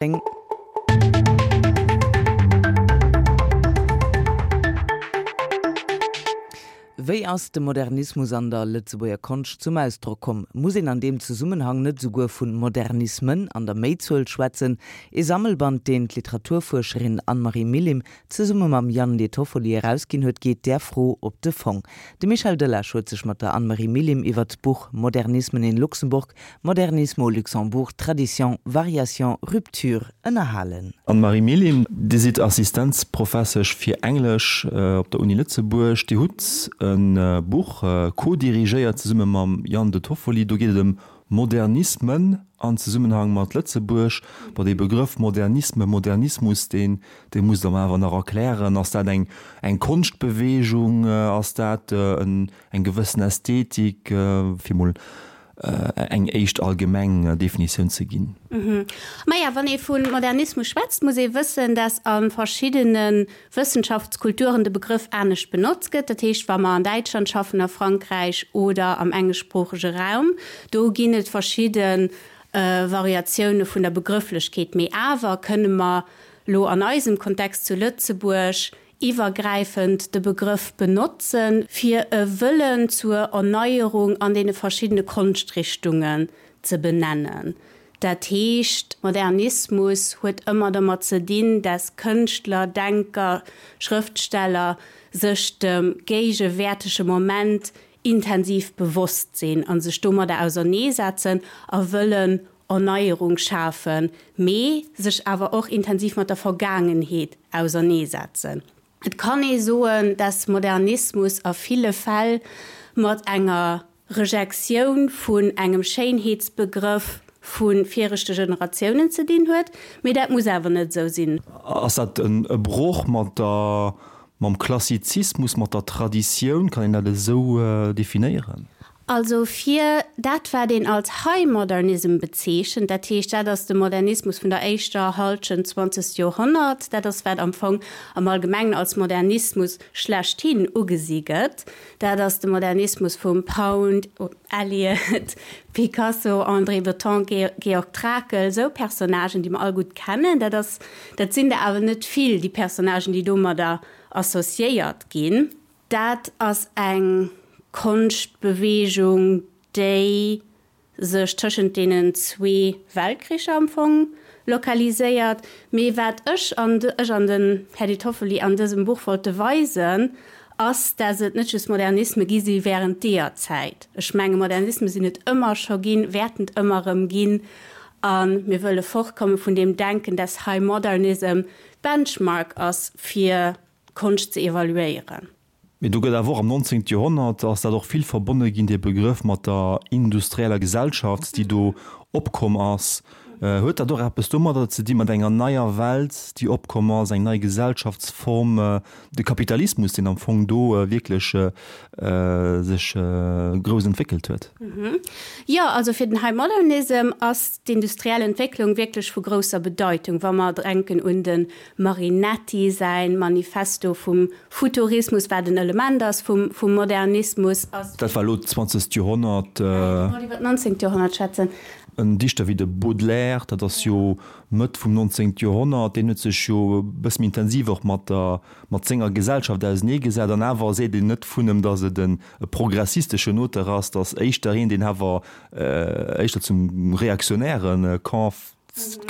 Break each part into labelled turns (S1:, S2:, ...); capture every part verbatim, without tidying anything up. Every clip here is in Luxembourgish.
S1: Eng. Wéi ass de Modernismus an der Lëtzebuerger Konscht zum Ausdrock komm? Muss een an deem Zesummenhang net esouguer vu Modernismen an der Méizuel schwätzen? Ee Sammelband, deen d'Literaturfuerscherin Anne-Marie Millim zesumme mam Yann De Toffoli erausginn huet, geet där Fro op de Fong. De Michel Delage huet sech mat der Anne-Marie Millim iwwer d'Buch Modernismen in Luxemburg, Modernisme au Luxembourg, Tradition, Variation, Rupture ënnerhalen.
S2: Anne-Marie Millim, Dir sidd Assistenzprofessesch fir Englesch op der Uni Lëtzebuerg. Dir hutt e Buch co-dirigéiert zesumme mam Yann De Toffoli. Do geet et ëm Modernismen an Zesummenhang mat Lëtzebuerg. Bon, dee Begrëff Modernisme, Modernismus, deen, dee musst Der mer awer nach erklären. Ass dat eng, eng Konschtbeweegung? Ass dat en, eng gewëssen Ästhetik? Fir mol eng éischt allgemeng Definitioun ze ginn.
S3: Maja, wann ee vu Modernismus schwätzt, muss ee wëssen, dass a verschiddene Wëssenschaftskulturen de Begrëff anescht benotzt gëtt. Dat heescht, wa mer an Däitschland schaffen, a Frankräich oder am engleschsproochege Raum, do ginn et verschidde Variatioune vun der Begrëfflechkeet. Mee awer kënne mer elo an eisem Kontext zu Lëtzebuerg iwwergräifend de Begrëff benotzen, fir e Wëllen zur Erneierung an deene verschiddene Konschtrichtungen ze benennen. Dat heescht, Modernismus huet ëmmer domat ze dinn, dass Kënschtler, Denker, Schrëftsteller sech dem géigewäertege Moment intensiv bewosst sinn a sech domadder auserneesetzen a wëllen Erneierung schafen, mee sech awer och intensiv mat der Vergaangenheet auserneesetzen. Et kann ee soen, dass Modernismus a ville Fäll mat enger Rejektioun vun engem Schéinheetsbegrëff vu viregte Generatiounen ze dinn huet, mee dat muss awer net esou sinn.
S2: Ass dat e Broch mat der, mam Klassizismus, mat der Traditioun? Kann een dat esou definéieren?
S3: Also fir dat wat een als High Modernism bezeechent, dat heescht dat ass de Modernismus vun der éischter Hallschent zwanzegst Joerhonnert, dat ass wat am Fong am Allgemengen als Modernismus schlechthin ugesi gëtt, dat ass de Modernismus vum Pound, Eliot, Picasso, André Breton, Georg Trakl, esou Personnagen, déi mer all gutt kennen. Dat ass, dat sinn der awer net vill, déi Personnagen, déi domadder associéiert ginn. Dat ass eng Konschtbeweegung, déi sech tëschent deenen zwee Weltkricher am Fong lokaliséiert. Mee wat ech an ech an den Här Di Toffoli an dësem Buch wollte weisen, ass, dass et net just Modernisme gi si während deeër Zäit. Ech menge Modernisme sinn et ëmmer scho ginn, wäerten et ëmmer erëm ginn. A mir wëlle fortkomme vun deem Denken, dass High Modernism d'Benchmark ass fir Konscht ze evaluéieren.
S2: Mee do gëtt awer och am nonzéngte Joerhonnert ass dat och vill verbonne ginn, dee Begrëff mat der industrieller Gesellschaft, déi do opkomm ass. Huet dat och eppes domadder ze di mat enger neier Welt, déi opkomm ass, eng nei Gesellschaftsform, de Kapitalismus, deen am Fong do wierklech sech grouss entwéckelt huet?
S3: Jo, also fir den High Modernism ass d'industriell Entwécklung wierklech vu grousser Bedeitung. Wa mer drenken un de Marinetti säin Manifesto vum Futurismus, wat en Element ass vum Modernismus,
S2: ass. Dat war elo d'zwanzegt Joerhonnert.
S3: Ech wollt iwwer d'nonzéngt Joerhonnert schwätzen.
S2: En Dichter wéi de Baudelaire, dat ass jo Mëtt vum nonzéngt Joerhonnert, deen huet sech jo e bësse méi intensiv och mat der, mat senger Gesellschaft auseneegesat. An awer seet een net vun em, datt et en progressisteschen Auteur ass, dat ass éischter een, deen awer éischter zum reaktionäre Camp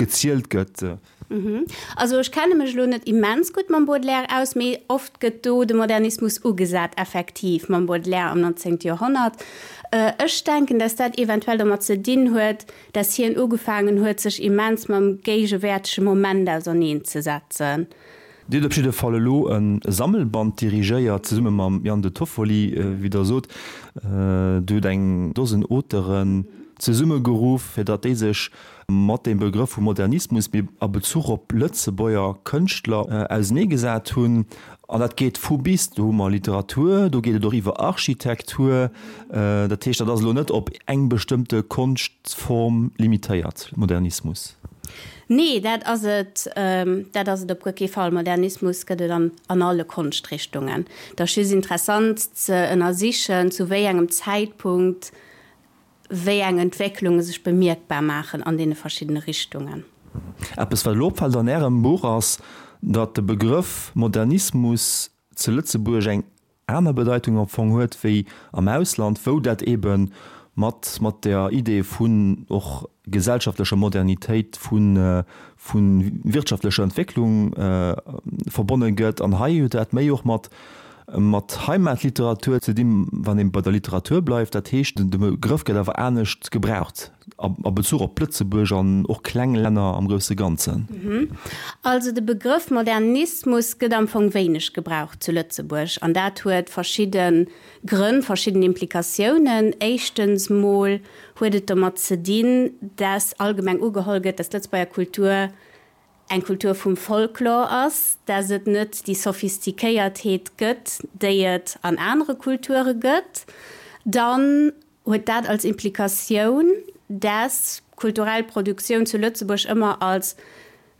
S2: gezielt gëtt.
S3: Also ech kenne mech elo net immens gutt mam Baudelaire aus, mee oft gëtt do de Modernismus ugesat, effektiv mam Baudelaire am nonzéngte Joerhonnert. Ech denken, dass dat eventuell domat ze dinn huet, dass hien ugefaangen huet, sech immens mam géigewäertege Moment auserneenzesetzen.
S2: Dir hutt op jidde Fall elo e Sammelband dirigéiert, zesumme mam Yann De Toffoli, wéi Der sot. Dir hutt eng Dosen Auteuren zesummegeruff, fir datt déi sech mat dem Begrëff vum Modernismus, mee a Bezuch op Lëtzebuerger Kënschtler, auseneegesat hunn. An dat geet vu bis, do hu mer Literatur, do geet et och iwwer Architektur. Dat heescht, dat ass elo net op eng bestëmmte Konschtform limitéiert, Modernismus.
S3: Nee, dat ass et, dat ass et op guer kee Fall. Modernismus gëtt et an an alle Konschtrichtungen. Et ass just interessant ze ënnersichen, zu wéi engem Zäitpunkt wéi eng Entwécklunge sech bemierkbar maachen an deene verschiddene Richtungen.
S2: Eppes wat elo opfält an Ärem Buch ass, datt de Begrëff Modernismus zu Lëtzebuerg eng aner Bedeitung am Fong huet wéi am Ausland, wou dat ebe mat mat der Idee vun och gesellschaftlecher Modernitéit, vu vu wirtschaftlecher Entwécklung verbonne gëtt. An hei huet dat méi och mat mat Heimatliteratur ze dinn, wann ee bei der Literatur bleift. Dat heescht, de Begrëff gëtt awer anescht gebraucht a Bezuch op Lëtzebuerg an och kleng Länner am grousse Ganzen.
S3: Also de Begrëff Modernismus gëtt am Fong wéineg gebraucht zu Lëtzebuerg an dat huet verschidde Grënn, verschidden Implikatiounen. Éischtens mol huet et domat ze dinn, dass allgemeng ugeholl gëtt, dass d'Lëtzebuerger Kultur eng Kultur vum Folklor ass, dass et net déi Sophistiquéiertheet gëtt, déi et an anere Kulture gëtt, dann huet dat als Implikatioun, dass kulturell Produktioun zu Lëtzebuerg ëmmer als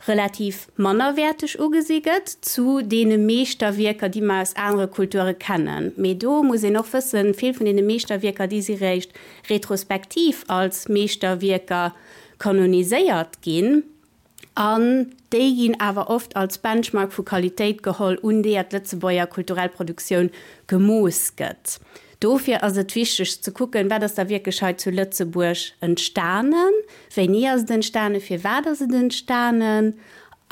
S3: relativ mannerwäerteg ugesi gëtt zu deene Meeschterwierker, déi mer aus anere Kulture kennen. Mee do muss een och wëssen, vill vun deene Meeschterwierker, déi si réischt retrospektiv als Meeschterwierker kanoniséiert ginn. An déi ginn awer oft als Benchmark vu Qualitéit geholl, un deeër d'Lëtzebuerger kulturell Produktioun gemooss gëtt. Dofir ass et wichteg ze kucken, wat ass da wierklech hei zu Lëtzebuerg entstanen, wéini ass et entstanen, firwat ass et entstanen,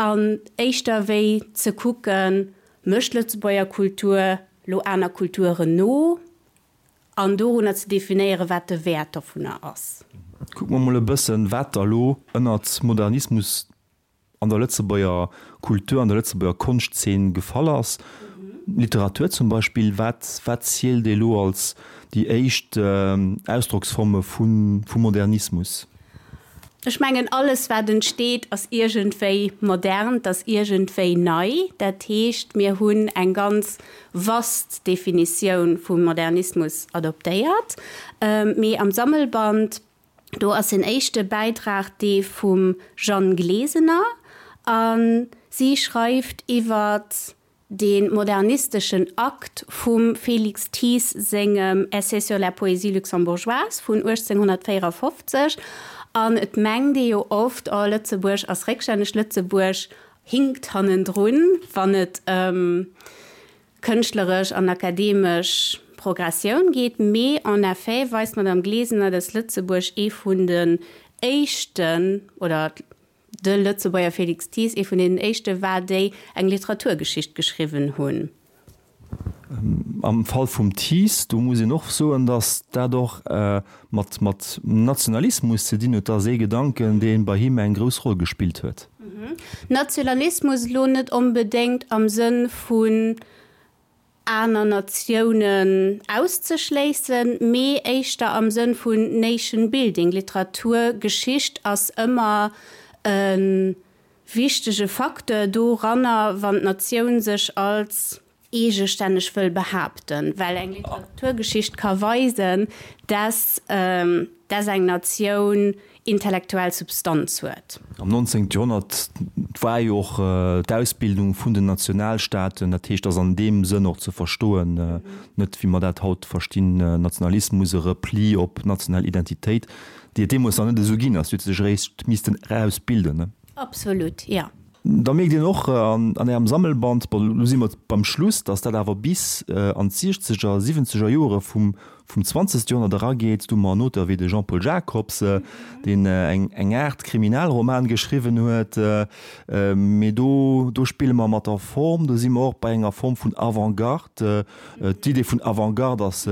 S3: an éischter wéi ze kucken, mécht Lëtzebuerger Kultur lo aner Kulturen no, an dorunner ze definéieren, wat de Wäert dovunner ass.
S2: Kucke mer mol e bëssen, wat da lo ënnert Modernismus an der Lëtzebuerger Kultur, an der Lëtzebuerger Konschtzeen gefall ass. Literatur zum Beispill, wat, wat zielt ee lo als déi éischt Ausdrocksforme vum Modernismus?
S3: Ech mengen, alles wat entsteet, ass iergendwéi modern, 't ass iergendwéi nei. Dat heescht, mir hunn eng ganz vast Definitioun vum Modernismus adoptéiert. Mee am Sammelband, do ass en éischte Bäitrag dee vum Jeanne Glesener a si schreift iwwer dee modernisteschen Akt vum Félix Thies sengem Essai sur la poésie luxembourgeoise vun uechtzénghonnertvéierafofzeg. An et mengt ee jo oft, oh Lëtzebuerg ass réckstänneg, Lëtzebuerg hinkt hannendrun, wann et ëm kënschtleresch an akademesch Progressioun geet. Mee en effet weist d'Madame Glesener, datt Lëtzebuerg ee vun den éischten, oder de Lëtzebuerger Félix Thies ee vun deenen éischte war, déi eng Literaturgeschicht geschriwwen hunn.
S2: Am Fall vum Thies, do muss een och soen, datt dat och mat mat Nationalismus ze dinn huet. Dat ass ee Gedanken, dee bei him eng grouss Roll gespillt huet.
S3: Nationalismus elo net onbedéngt am Sënn vun aner Natiounen auszeschléissen, mee éischter am Sënn vun Nation Building. Literaturgeschicht ass ëmmer e wichtege Facteur doranner, wann d'Natioun sech als eegestänneg wëll behaapten, well eng Literaturgeschicht ka weisen, dass dass eng Natioun intellektuell Substanz huet.
S2: Am nonzéngte Joerhonnert war jo och d'Ausbildung vun den Nationalstaaten, dat heescht, ass an deem Sënn och ze verstoen, net wéi mer dat haut verstinn, Nationalismus, e Repli op national Identitéit, déi et deemools nach net esou ginn ass, déi huet sech eréischt missten erausbilden.
S3: Absolut, jo.
S2: Da mierkt een och an Ärem Sammelband, bon, elo si mer beim Schluss, datt dat awer bis an d'Siechzeger, Siwwenzeger Jore vum zwanzegste Joerhonnert erageet. Do hu mer en Auteur wéi de Jean-Paul Jacobs, deen eng Aart Kriminalroman geschriwwen huet. Mee do, do spille mer mat der Form, do si mer och bei enger Form vun Avantgarde. D'Idee vun Avantgarde ass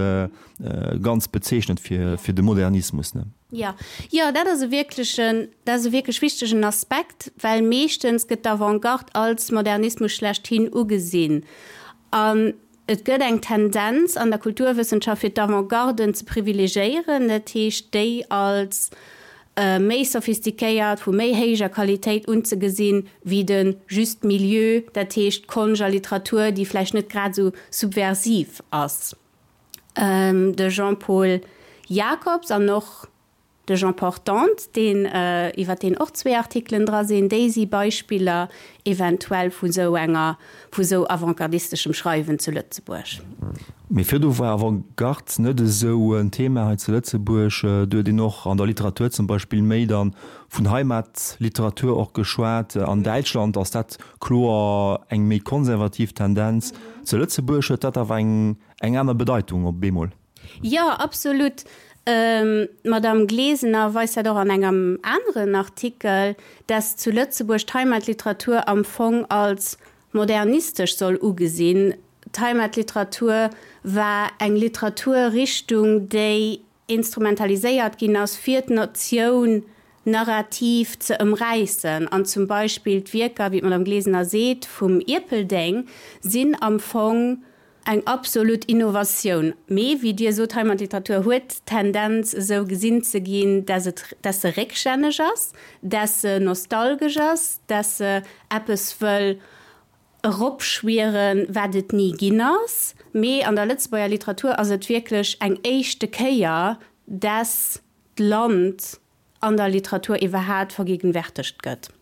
S2: ganz bezeechnend fir de Modernismus.
S3: Jo, jo, dat ass e wierklechen, dat ass e wierklech wichtegen Aspekt, well meeschtens gëtt d'Avant-garde als Modernismus schlechthin ugesinn. An et gëtt eng Tendenz an der Kulturwëssenschaft, fir d'Avant-garden ze privilegéieren, dat heescht, déi als méi sophistiquéiert, vu méi héijer Qualitéit unzegesinn, wéi de juste milieu, dat heescht d'Konscht a Literatur, déi vläicht net grad esou subversiv ass. De Jean-Paul Jacobs an och de Jean Portante, deen, iwwer deen och zwee Artikelen dra sinn, déi si Beispiller eventuell vu sou enger, vu sou avantgardisteschem Schreiwen zu Lëtzebuerg.
S2: Mee virdu war Avantgarde net esou en Thema hei zu Lëtzebuerg. Do huet een och an der Literatur zum Beispill méi dann vun Heimatliteratur och geschwat. An Däitschland ass dat kloer eng méi konservativ Tendenz. Zu Lëtzebuerg huet dat awer eng eng aner Bedeitung op eemol.
S3: Jo, absolut. D'Madame Glesener weist dat och an engem aneren Artikel, dass zu Lëtzebuerg d'Heimatliteratur am Fong als modernistesch soll ugesinn. D'Heimatliteratur war eng Literaturrichtung, déi instrumentaliséiert ginn ass, fir d'Natioun narrativ ze ëmräissen. An zum Beispill d'Wierker, wéi d'Madame Glesener seet, vum Ierpeldeng sinn am Fong eng absolut Innovatioun. Mee wéi Dir sot, Heimatliteratur huet d'Tendenz esou gesinn ze ginn, dass et, dass se réckstänneg ass, dass se nostalgesch ass, dass se eppes wëll eropschwieren, wat et ni ginn ass. Mee an der Lëtzebuerger Literatur ass et wierklech eng éischte Kéier, dass d'Land an der Literatur iwwerhaat vergegenwärtegt gëtt.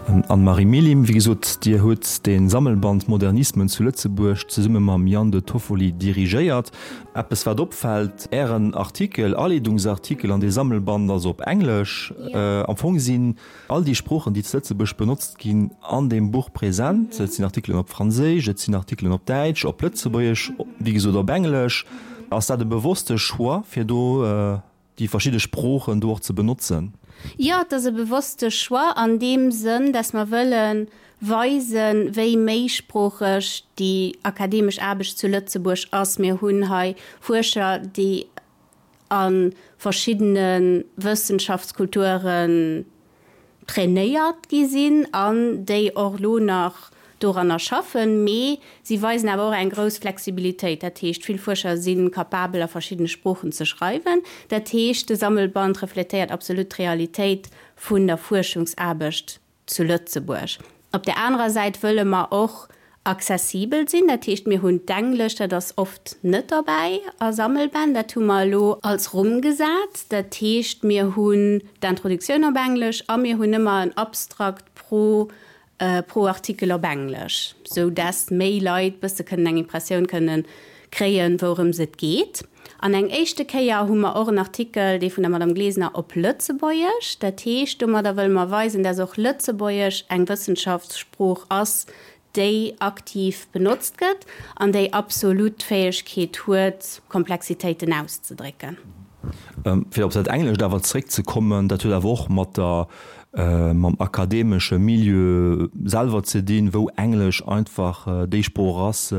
S2: Anne-Marie Millim, wéi gesot, Dir hutt de Sammelband Modernismen zu Lëtzebuerg zesumme mam Yann De Toffoli dirigéiert. Eppes wat opfält, Ären Artikel, Aleedungsartikel an dee Sammelband ass op Englesch. Am Fong sinn all déi Sproochen, déi zu Lëtzebuerg benotzt ginn, an deem Buch present. Et sinn Artikelen op Franséisch, et sinn Artikelen op Däitsch, op Lëtzebuergesch, wéi gesot op Englesch. Ass dat e bewosste Choix, fir do déi verschidde Sproochen do och ze benotzen?
S3: Jo, et ass e bewosste Choix an deem Sënn, dass mer wëlle weisen, wéi méisproocheg déi akademesch Aarbecht zu Lëtzebuerg ass. Mir hunn hei Fuerscher, déi a verschiddene Wëssenschaftskulturen trainéiert gi sinn an déi och elo nach doranner schaffen, mee si weisen awer och eng grouss Flexibilitéit. Dat heescht, vill Fuerscher si kapabel a verschiddene Sproochen ze schreiwen. Dat heescht, de Sammelband refletéiert absolut d'Realitéit vun der Fuerschungsaarbecht zu Lëtzebuerg. Op där anerer Säit wëlle mer och accessibel sinn. Dat heescht, mir hunn d'Englescht, dat ass oft net derbäi a Sammelbänn, dat hu mer elo als Rumm gesat. Dat heescht, mir hunn d'Introduktioun op Englesch a mir hunn ëmmer en Abstract pro pro Artikel op Englesch, sou dass méi Leit bësse kënnen eng Impressioun kënnen kréien, wourëms et geet. An eng éischte Kéier hu mer och en Artikel, dee vun der Madame Glesener, op Lëtzebuergesch. Dat heescht, domadder wëlle mer weisen, dass och Lëtzebuergesch eng Wëssenschaftssprooch ass, déi aktiv benotzt gëtt an déi absolut d'Fäegkeet huet, Komplexitéiten auszedrécken.
S2: Fir op dat Englescht awer zeréckzekommen, dat huet awer och mat der, mam akademesche Milieu selwer ze dinn, wou Englesch einfach déi Sprooch ass,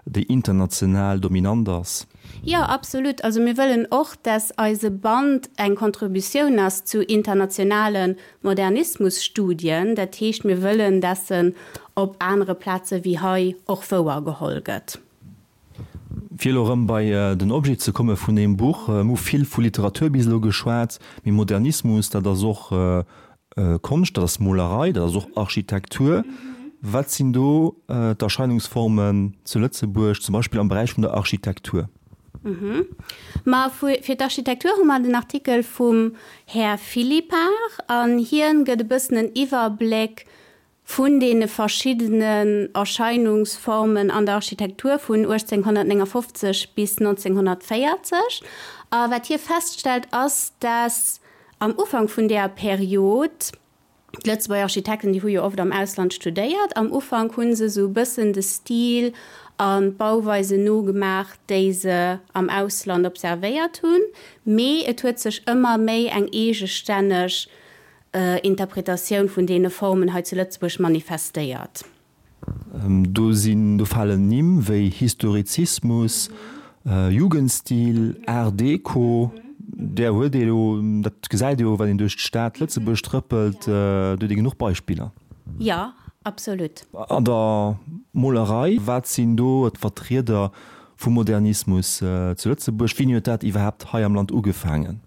S2: déi international dominant ass.
S3: Jo, absolut. Also mir wëllen och, dass eise Band eng Contributioun ass zu internationale Modernismusstudien. Dat heescht, mir wëllen, dass en op anere Plaze wéi hei och wouergeholl gëtt.
S2: Fir elo erëm bei den Objet ze komme vun deem Buch, Mir hu vill vu Literatur bis elo geschwat, mee Modernismus, dat ass och Konscht, dat ass Molerei, dat ass och Architektur. Wat sinn do d'Erscheinungsformen zu Lëtzebuerg, zum Beispill am Beräich vun der Architektur?
S3: Ma fir d'Architektur hu mer den Artikel vum Här Philippart an hien gëtt e bëssen en Iwwerbléck vun deene verschiddenen Erscheinungsformen an der Architektur vun uechtzénghonnertnéngafofzeg bis nonzénghonnertvéierzeg. A wat hie feststellt ass, dass am Ufank vun deeër Period, d'Lëtzebuerger Architekten, déi hu jo oft am Ausland studéiert, am Ufank hu se esou e bëssen de Stil an d'Bauweisen nogemaach, déi se am Ausland observéiert hunn, mee et huet sech ëmmer méi eng eegestänneg Interpretatioun vun deene Formen hei zu Lëtzebuerg manifestéiert.
S2: Do sinn, do falen Nimm wéi Historizismus, Jugendstil, Art Deco. Där huet ee jo, dat gesäit ee jo, wann een duerch d'Stad Lëtzebuerg trëppelt, do huet ee genuch Beispiller.
S3: Jo, absolut.
S2: An der Molerei, wat sinn do d'Vertrieder vum Modernismus zu Lëtzebuerg? Wéini huet dat iwwerhaapt hei am Land ugefaangen?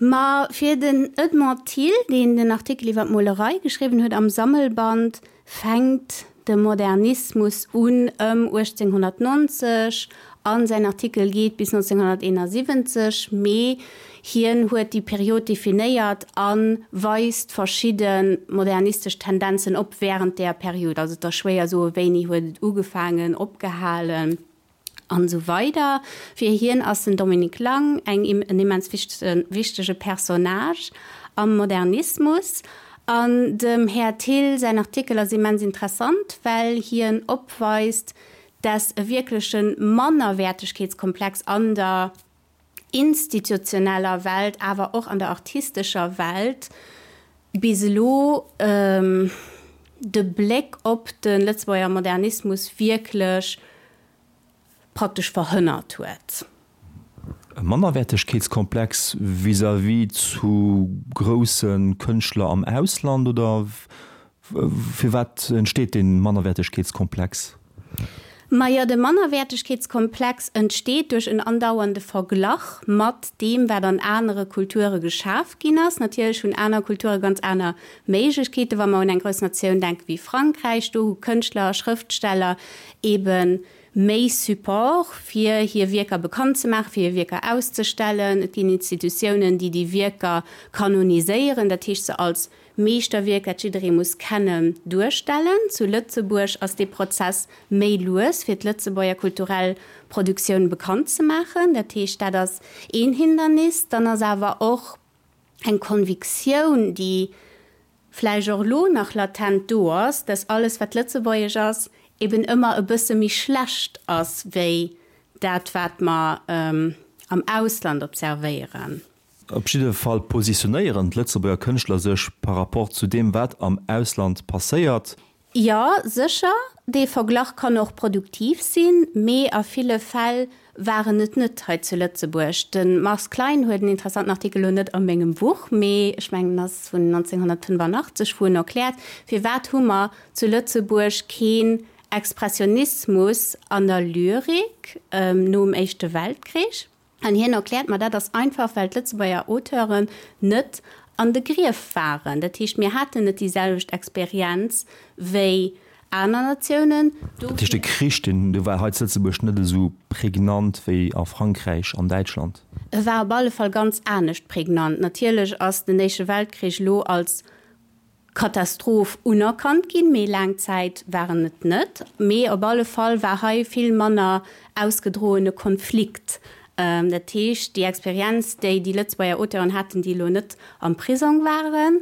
S3: Ma fir den Edmond Thill, deen den Artikel iwwer d'Molerei geschriwwen huet am Sammelband, fänkt de Modernismus un ëm uechtzénghonnertnonzeg a säin Artikel geet bis nonzénghonnerteenasiwwenzeg. Mee hien huet déi Period definéiert a weist verschidde modernistesch Tendenzen op wärend där Period. Also et ass schwéier soe wéini huet et ugefaangen, opgehalen. An esou weider. Fir hien ass den Dominique Lang eng en immens wichtege Personnage am Modernismus. An dem Här Thill säin Artikel ass immens interessant, well hien opweist, dass e wierkleche Mannerwäertegkeetskomplex an der institutioneller Welt, awer och an der artistescher Welt bis elo de Bléck op de Lëtzebuerger Modernismus wierklech praktesch verhënnert huet.
S2: E Mannerwäertegkeetskomplex vis-à-vis zu grousse Kënschtler am Ausland, oder firwat entsteet dee Mannerwäertegkeetskomplex?
S3: Majo, de Mannerwäertegkeetskomplex entsteet duerch en andauernde Verglach mat deem, wat an anere Kulture geschaf ginn ass. Natierlech hunn aner Kulture ganz aner Méiglechkeeten. Wa mer un eng grouss Natioun denke wéi Frankräich, do hu Kënschtler a Schrëftsteller ebe méi Support fir hir Wierker bekannt ze maachen, fir hir Wierker auszestellen. Et ginn Institutiounen, déi déi Wierker kanoniséieren, dat heescht se als Meeschterwierk, dat jidderee muss kennen, duerstellen. Zu Lëtzebuerg ass dee Prozess méi lues, fir d'Lëtzebuerger kulturell Produktioun bekannt ze maachen. Dat heescht, dat ass een Hindernis. Dann ass awer och eng Konviktioun, déi vläicht och elo nach latent do ass, dass alles, wat lëtzebuergesch ass, eben ëmmer e bësse méi schlecht ass wéi dat, wat mer am Ausland observéieren.
S2: Op jidde Fall positionéieren d'Lëtzebuerger Kënschtler sech par rapport zu deem, wat am Ausland passéiert.
S3: Jo, sécher, dee Verglach kann och produktiv sinn, mee a ville Fäll war en et net hei zu Lëtzebuerg. De Mars Klein huet en interessanten Artikel, elo net a mengem Buch, mee ech mengen en ass vun neunzehnhundertfünfundachtzeg, wou en erkläert, firwat hu mer zu Lëtzebuerg keen Expressionismus an der Lyrik nom Éischte Weltkrich. An hien erkläert, ma dat ass einfach, well d'Lëtzebuerger Auteuren net an de Grief waren. Dat heescht, mir haten net déi selwecht Experienz wéi aner Natiounen.
S2: Dat heescht, de Krich, deen do war hei zu Lëtzebuerg net esou prägnant wéi a Frankräich an Däitschland?
S3: E war op alle Fall ganz anescht prägnant. Natierlech ass den Éischte Weltkrich elo als Katastroph unerkannt ginn, mee laang Zäit war en et net. Mee op alle Fall war hei vill manner ausgedroene Konflikt. Dat heescht, déi Experienz, déi déi Lëtzebuerger Auteuren haten, déi elo net am Prisong waren,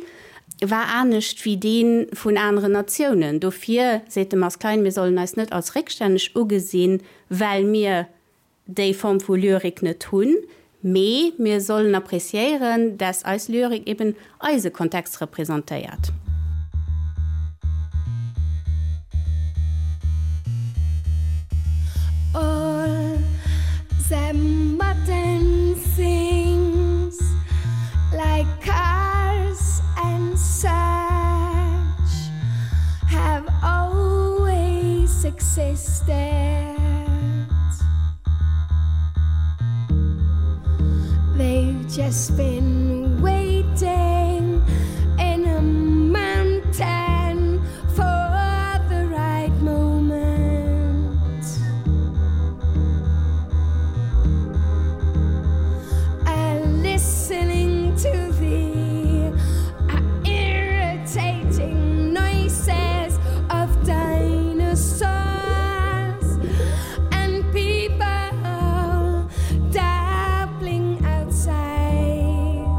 S3: war anescht wéi dee vun aneren Natiounen. Dofir seet de Mars Klein, mir sollen eis net als réckstänneg ugesinn, well mir déi Form vu Lyrik net hunn, mee mir sollen appreciéieren, dass eis Lyrik eben eise Kontext representéiert.
S4: All the modern things like cars and such have always existed. They've just been waiting in a mountain for the right moment. And listening to the irritating noises of dinosaurs and people dabbling outside.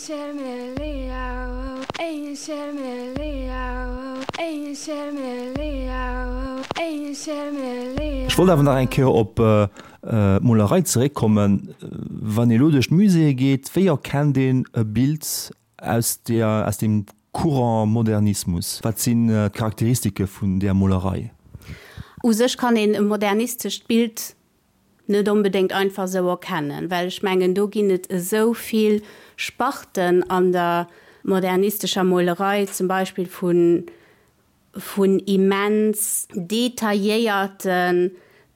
S2: Ech wollt awer nach eng Kéier op d'Molerei zeréckkommen. Wann ee elo duerch d'Muséeë geet, wéi erkennt een e Bild aus der, aus dem Courant Modernismus? Wat sinn d'Charakteristike vun där Molerei?
S3: U sech kann een e modernistescht Bild net onbedéngt einfach esou erkennen, well ech mengen, do ginn et esou vill Sparten an der modernistescher Molerei, zum Beispill vu vun immens detailléierte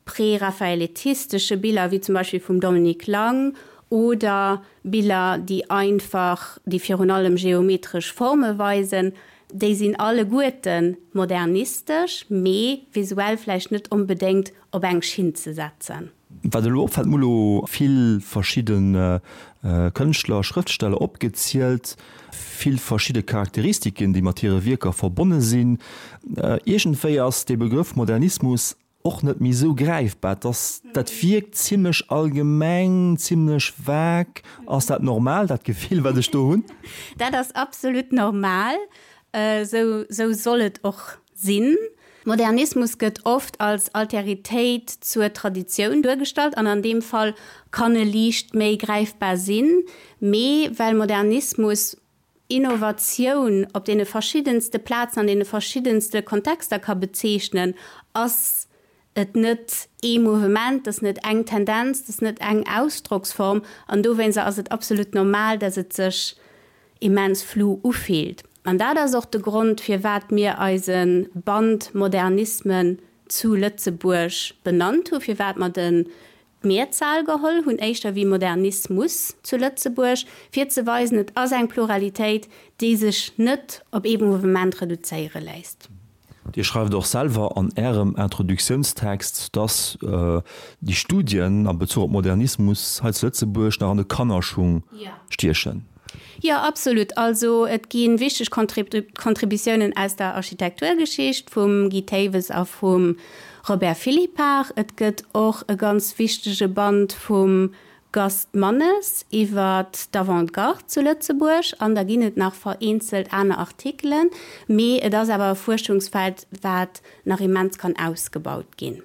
S3: präraphaeletistesche Biller, wéi zum Beispill vum Dominique Lang, oder Biller, déi einfach, déi virun allem geometresch Forme weisen, déi sinn alleguerte modernistesch, mee visuell vläicht net onbedéngt op eng Schinn ze setzen.
S2: Wat elo opfält, mir hu lo vill verschidde Kënschtler, Schrëftsteller opgezielt, vill verschidde Charakteristiken, déi mat hire Wierker verbonne sinn. Iergendwéi ass dee Begrëff Modernismus och net méi esou gräifbar. Et ass, dat wierkt zimlech allgemeng, zimlech vague. Ass dat normal, dat Gefill, wat ech do hunn?
S3: Dat ass absolut normal. Esou, esou soll et och sinn. Modernismus gëtt oft als Alteritéit zur Traditioun duergestallt an an deem Fall kann e liicht méi gräifbar sinn. Mee well Modernismus Innovatioun op deene verschiddenste Plazen, an deene verschiddenste Kontexter ka bezeechnen, ass et net ee Mouvement, et ass net eng Tendenz, et ass net eng Ausdrocksform an dowéinster ass et absolut normal, dass et sech immens flou ufillt. An dat ass och de Grond, firwat mir eise Band Modernismen zu Lëtzebuerg benannt hunn, firwat mer den d'Mehrzahl geholl hunn, éischter wéi Modernismus zu Lëtzebuerg, fir ze weisen, et ass eng Pluralitéit, déi sech net op ee Mouvement reduzéiere léisst.
S2: Dir schreift och selwer an Ärem Introduktiounstext, dass déi Studien a Bezuch op Modernismus hei zu Lëtzebuerg nach an de Kannerschung stiechen.
S3: Jo, absolut. Also et gi wichteg Contributiounen aus der Architekturgeschicht vum Guy Thewes a vum Robert Philippart. Et gëtt och e ganz wichtege Band vum Gast Mannes iwwer d'Avant-garde zu Lëtzebuerg an da ginn et nach vereenzelt aner Artikelen. Mee et ass awer e Fuerschungsfeld, wat nach immens kann ausgebaut ginn.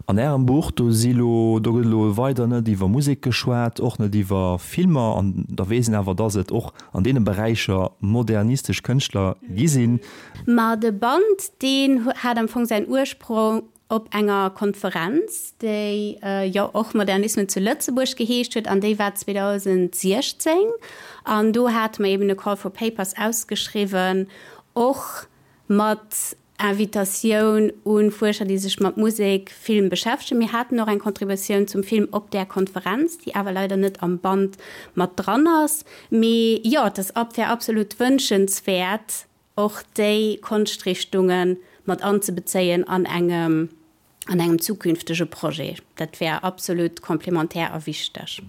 S2: An Ärem Buch, do si lo, do gëtt elo weider net iwwer Musek geschwat, och net iwwer Filmer, an da weess een awer, dass et och an deene Beräicher modernistesch Kënschtler gi sinn.
S3: Ma de Band, deen hat am Fong säin Ursprong op enger Konferenz, déi jo och Modernismen zu Lëtzebuerg geheescht huet, an déi war zweedausentsiechzéng. An do hate mer eben e Call for Papers ausgeschriwwen, och mat Invitatioun un Fuerscher, déi sech mat Musek, Film beschäftegen. Mir haten och eng Contributioun zum Film op där Konferenz, déi awer leider net am Band mat dran ass. Mee jo, et ass wär absolut wënschenswäert, och déi Konschtrichtunge mat anzebezéien an engem, an engem zukünftege Projet. Dat wär absolut complémentaire a wichteg.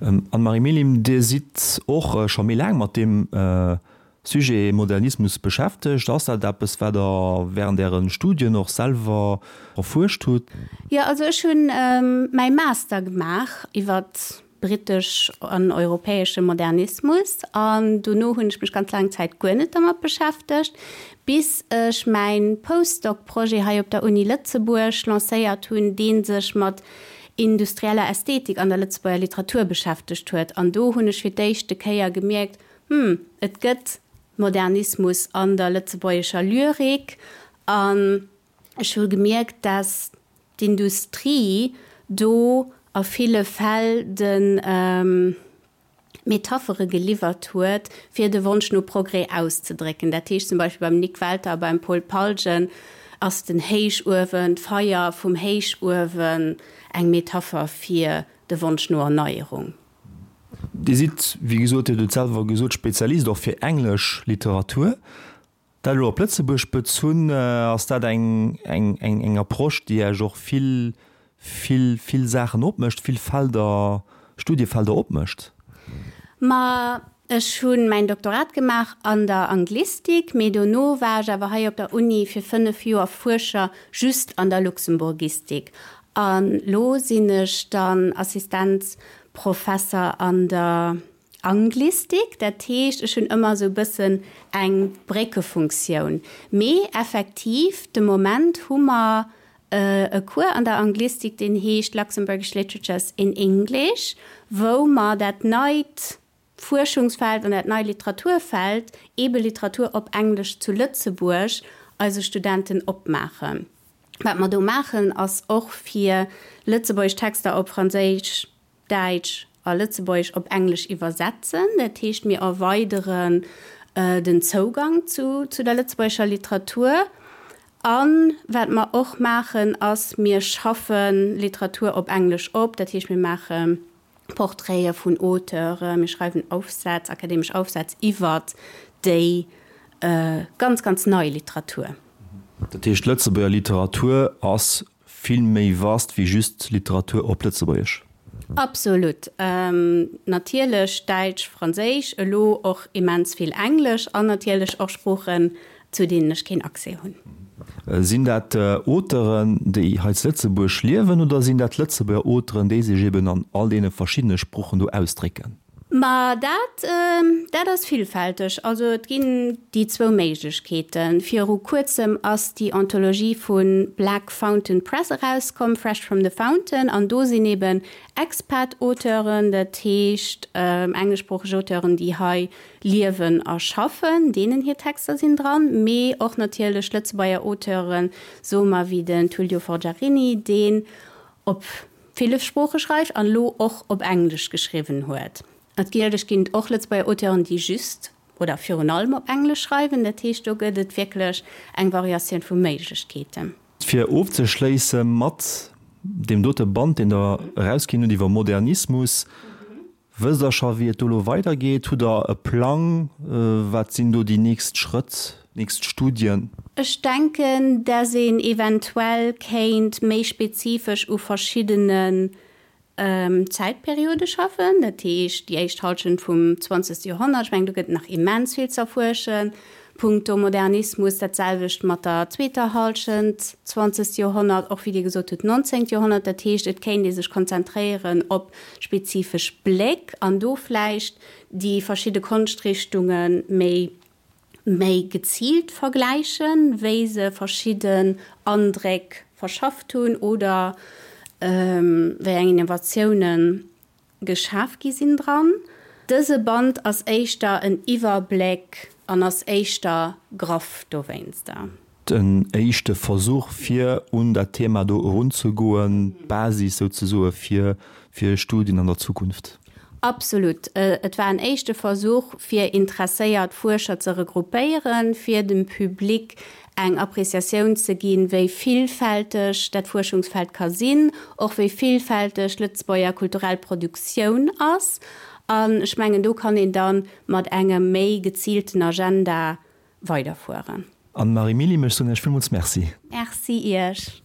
S2: Anne-Marie Millim, Dir sidd och scho méi laang mat deem Sujet Modernismus beschäftegt. Ass dat eppes, wat Der während Äre Studien och selwer erfuerscht hutt?
S3: Jo, also ech hunn mäi Master gemaach iwwer britesch an europäesche Modernismus an dono hunn ech mech ganz laang Zäit guer net dermat beschäftegt, bis ech mäin Postdoc-Projet hei op der Uni Lëtzebuerg lancéiert hunn, dee sech mat industrieller Ästhetik an der Lëtzebuerger Literatur beschäftegt huet. An do hunn ech fir d'éischte Kéier gemierkt, Hm, et gëtt Modernismus an der lëtzebuergescher Lyrik. An ech hu gemierkt, dass d'Industrie do a ville Fäll de Metaphere geliwwert huet, fir de Wonsch no Progrès auszedrécken. Dat heescht zum Beispill beim Nik Welter a beim Pol Palgen ass den Héichuewen, d'Feier vum Héichuewen eng Metapher fir de Wonsch no Erneierung.
S2: Dir sidd, wéi gesot, Dir hutt et selwer gesot, Spezialist och fir englesch Literatur. Dat elo op Lëtzebuerg bezunn, ass dat eng, eng, eng, eng Approche, déi Iech och vill, vill, vill Saachen opmécht, vill Felder, Studiefelder opmécht?
S3: Ma ech hu mäin Doktorat gemaach an der Anglistik, mee dono war ech awer hei op der Uni fir fënnef Joer Fuerscher just an der Luxemburgistik. An lo sinn ech dann Assistenzprofesser an der Anglistik, dat heescht, ech hunn ëmmer esou e bëssen eng Bréckefunktioun. Mee effektiv, de Moment hu mer e Cours an der Anglistik, deen heescht Luxembourgish Literatures in English, wou mer dat neit Fuerschungsfeld an dat neit Literaturfeld, eebe Literatur op Englesch zu Lëtzebuerg, eise Studenten opmaachen. Wat mer do maachen, ass och fir lëtzebuergesch Texter op Franséisch, Däitsch a Lëtzebuergesch op Englesch iwwersetzen. Dat heescht, mir erweideren den Zougang zu zu der lëtzebuergescher Literatur. A wat mer och maachen, ass, mir schaffe Literatur op Englesch op. Dat heescht, mir maache Portraite vun Auteure, mir schreiwen Aufsätz, akademesch Aufsätz iwwert déi ganz, ganz nei Literatur.
S2: Dat heescht, d'Lëtzebuerger Literatur ass vill méi vast wéi just Literatur op Lëtzebuergesch?
S3: Absolut. Natierlech Däitsch, Franséisch, elo och immens vill Englesch an natierlech och Sproochen, zu deenen ech keen Accès hunn.
S2: Sinn dat Auteuren, déi hei zu Lëtzebuerg liewen oder sinn dat Lëtzebuerger Auteuren, déi sech eben an all deene verschiddene Sproochen do ausdrécken?
S3: Ma dat, dat ass villfälteg. Also et ginn déi zwou Méiglechkeeten. Viru kuerzem ass déi Anthologie vu Black Fountain Press erauskomm, Fresh from the Fountain, an do sinn eben Expat-Auteuren, dat heescht engleschsproocheg Auteuren, déi hei liewen a schaffen, deenen hir Texter sinn dran, mee och natierlech Lëtzebuerger Auteuren, soe mer wéi den Tullio Forgiarini, deen op ville Sprooche schreift an elo och op Englesch geschriwwen huet. Natierlech ginn et och Lëtzebuerger Auteuren, déi just oder virun allem op Englesch schreiwen. Dat heescht, do gëtt et wierklech eng Variatioun vu Méiglechkeeten.
S2: Fir ofzeschléisse mat deem dote Band, deen Der erausginn hutt iwwer Modernismus, wësst Der scho wéi et do elo weidergeet? Hutt Der e Plang? Wat sinn do déi nächst Schrëtt, nächst Studien?
S3: Ech denken, dass een eventuell kéint méi spezifesch u verschiddenen Zäitperiode schaffen, dat heescht déi éischt Hallschent vum zwanzegste Joerhonnert. Ech mengen, do gëtt et nach immens vill ze erfuerschen punkto Modernismus. Dat selwecht mat der zweeter Hallschent, zwanzegst Joerhonnert, och wéi Dir gesot hutt, nonzéngt Joerhonnert. Dat heescht, et kéint ee sech konzentréieren op spezifesch Bléck an do vläicht déi verschidde Konschtrichtunge méi méi geziilt vergläichen, wéi se verschidden Andréck verschafft hunn oder wéi eng Innovatioune geschaf gi sinn dran. Dëse Band ass éischter en Iwwerbléck an ass éischter graff dowéinster.
S2: En éischte Versuch fir un dat Thema do erunzegoen, d'Basis souzesoe fir fir Studien an der Zukunft.
S3: Absolut. Et war en éischte Versuch, fir interesséiert Fuerscher ze regroupéieren, fir dem Public eng Appreciatioun ze ginn, wéi villfälteg dat Fuerschungsfeld ka sinn, och wéi villfälteg d'Lëtzebuerger kulturell Produktioun ass. An ech mengen, do kann een da mat engem méi geziilten Agenda weiderfueren.
S2: Anne-Marie Millim, ech soen Iech villmools Merci.
S3: Merci Iech.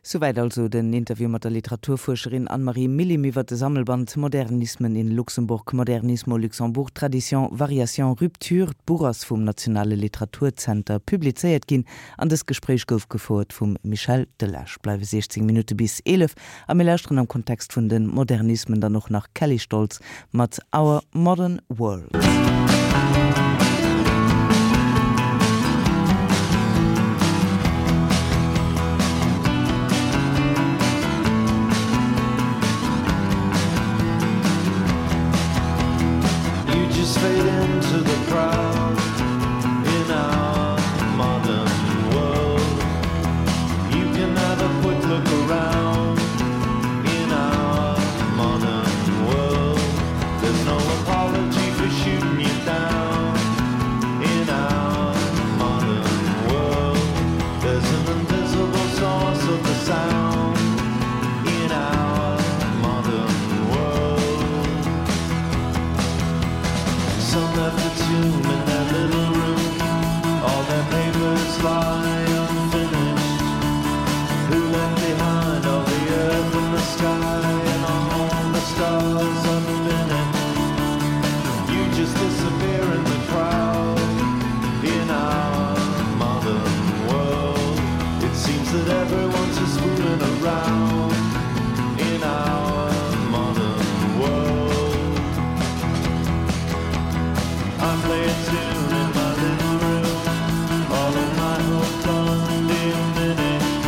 S1: Souwäit also den Interview mat der Literaturfuerscherin Anne-Marie Millim iwwer de Sammelband Modernismen in Luxemburg, Modernisme au Luxembourg, Tradition, Variation, Rupture. D'Buch ass vum Nationale Literaturzenter publizéiert ginn an dëst Gespréich gouf gefouert vum Michel Delage. Bleiwe siechzéng Minutte bis eelef a mir lauschteren am Kontext vun de Modernismen dann och nach Kelly Stoltz mat Our Modern World.
S5: You just fade into the crowd in our modern world. You can have a quick look around in our modern world. There's no apology for shooting you down. I play a tune in my little room. All of my hopes undiminished.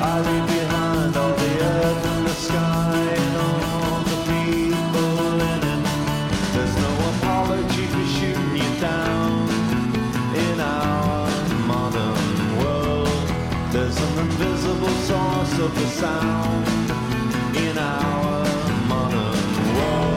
S5: I leave behind all the earth and the sky and all the people in it. There's no apology for shooting you down in our modern world. There's an invisible source of the sound in our modern world.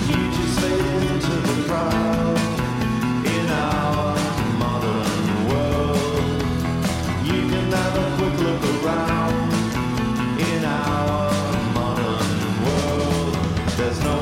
S5: You just fade into the crowd in our modern world. You can have a quick look around in our modern world. There's no